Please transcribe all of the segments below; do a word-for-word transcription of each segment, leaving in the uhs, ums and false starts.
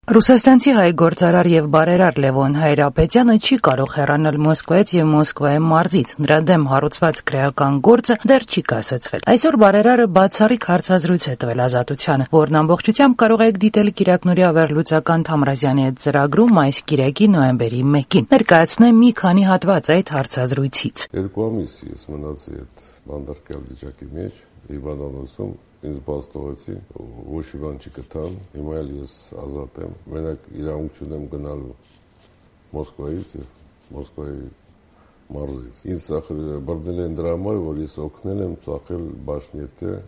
Ռուսաստանցի հայ գործարար եւ բարերար Լևոն Հայրապետյանը չի կարող հեռանալ Մոսկվայից եւ Մոսկվայի մարզից։ Նրա դեմ հարուցված քրեական գործը դեռ չի կասեցվել։ Այսօր բարերարը բացառիկ հարցազրույց է տվել Ազատությանը, որն ամբողջությամբ կարող եք դիտել Կիրակնորի ավերլուծական Թամրազյանի հետ ծրագրում այս կիրակի նոյեմբերի մեկին։ Ներկայացնեմ մի քանի հատված այդ հարցազրույցից։ Երկու ամիս ես մնացի այդ բանդարկյալ վիճակի մեջ, Իվանովոսում ինձ բաց տողեցի, ոչ մի բան չգտան, հիմա էլ ես ազատ եմ, մենակ իրավունք չունեմ գնալու Մոսկվայից եւ Մոսկվայի մարզից։ Ինձ բռնել են դրա համար, որ ես օգնել եմ ծախել Բաշնեֆտե։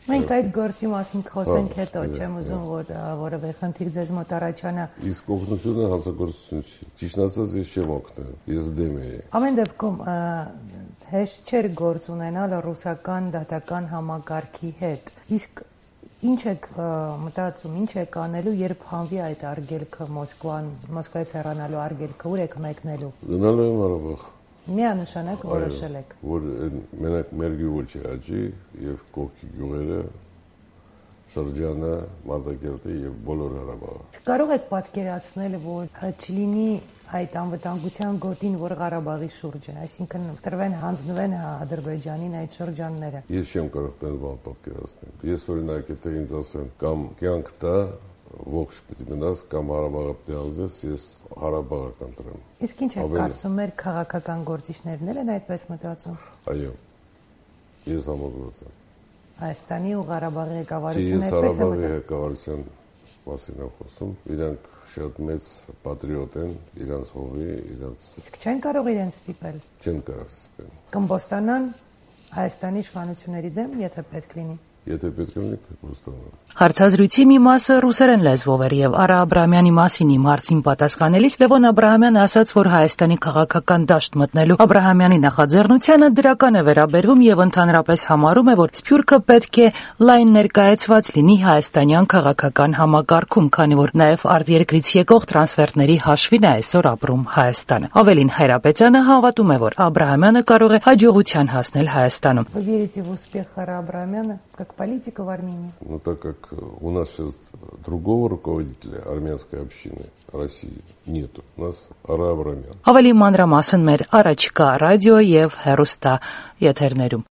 Մենք այդ գործի մասին խոսենք հետո, չեմ ուզում, որ որևէ խնդիր ձեզ մոտ առաջանա։ Իսկ օգնությունը հանցագործություն չի։ Ճիշտ ասած, ես չեմ օգնել, ես դեմ եի։ Ամեն դեպքում հեշտ չէր գործ ունենալ ռուսական դատական համակարգի հետ։ Իսկ ինչ եք մտածում, ինչ եք անելու, երբ հանվի այդ արգելքը Մոսկվան, Մոսկվայից հեռանալու արգելքը, ուր եք մեկնելու։ Գնալու եմ Ղարաբաղ։ Միանշանակ որոշել եք։ Որ մենակ մեր գյուղը չաճի եւ կողքի գյուղերը, շրջանը, Մարտակերտը եւ բոլոր Ղարաբաղը։ Կարող եք պատկերացնել, որ չլինի այդ անվտանգության գոտին, որ Ղարաբաղի շուրջ է, այսինքն տրվեն, հանձնվեն Ադրբեջանին այդ շրջանները։ Ես չեմ կարող տես բան պատկերացնել։ Ես օրինակ եթե ինձ ասեն կամ կյանք տա, ողջ պիտի մնաս, կամ Ղարաբաղը պիտի ազդես, ես Ղարաբաղը կընտրեմ։ Իսկ ինչ եք կարծում, մեր քաղաքական գործիչներն են այդպես մտածում։ Այո, ես համոզված եմ։ Հայաստանի ու Ղարաբաղի ղեկավարությունը այդպես է մտածում։ Ղարաբաղի ղեկավարության մասին եմ խոսում, իրանք շատ մեծ պատրիոտ են, իրանց հողի, իրանց։ Իսկ չեն կարող իրենց ստիպել։ Չեն կարող ստիպել։ Կմբոստանան Հայաստանի իշխանությունների դեմ, եթե պետք լինի։ Եթե պետք լինի, կմբոստանան։ Հարցազրույցի մի մասը ռուսերեն լեզվով էր եւ Արա Աբրահամյանի մասին իմ հարցին պատասխանելիս Լևոն Աբրահամյանը ասաց, որ Հայաստանի քաղաքական դաշտ մտնելու Աբրահամյանի նախաձեռնությանը դրական է վերաբերվում եւ ընդհանրապես համարում է, որ Սփյուռքը պետք է լայն ներկայացված լինի հայաստանյան քաղաքական համակարգում, քանի որ նաեւ արտերկրից եկող տրանսֆերտների հաշվին է այսօր ապրում Հայաստանը։ Ավելին Հայրապետյանը հավատում է, որ Աբրահամյանը կարող է հաջողության հասնել Հայաստանում։ Вы верите в успех Ара Абрахамяна как политика в Армении? Ну так как у нас сейчас другого руководителя армянской общины России нету. У нас Ара Абрахамян. Ավելի մանրամասն մեր առաջկա ռադիո եւ հեռուստա եթերներում։